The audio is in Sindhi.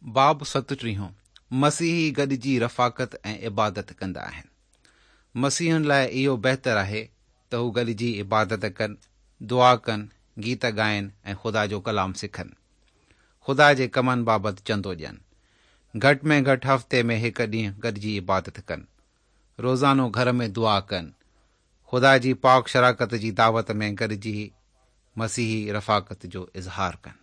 باب ستٽيهون، مسيحي گڏجي رفاقت ۽ عبادت ڪندا آهن. مسيحين لاء اهو بهتر آهي ته هو گڏجي عبادت ڪن، دعا ڪن، گيت ڳائن ۽ خدا جو ڪلام سکن. خدا جي ڪمن بابت چندو ڏين. گهٽ ۾ گهٽ هفتي ۾ هڪ ڏينهن گڏجي عبادت ڪن. روزانو گهر ۾ دعا ڪن. خدا جي پاڪ شراڪت جي دعوت ۾ گڏجي مسيحي رفاقت جو اظهار ڪن.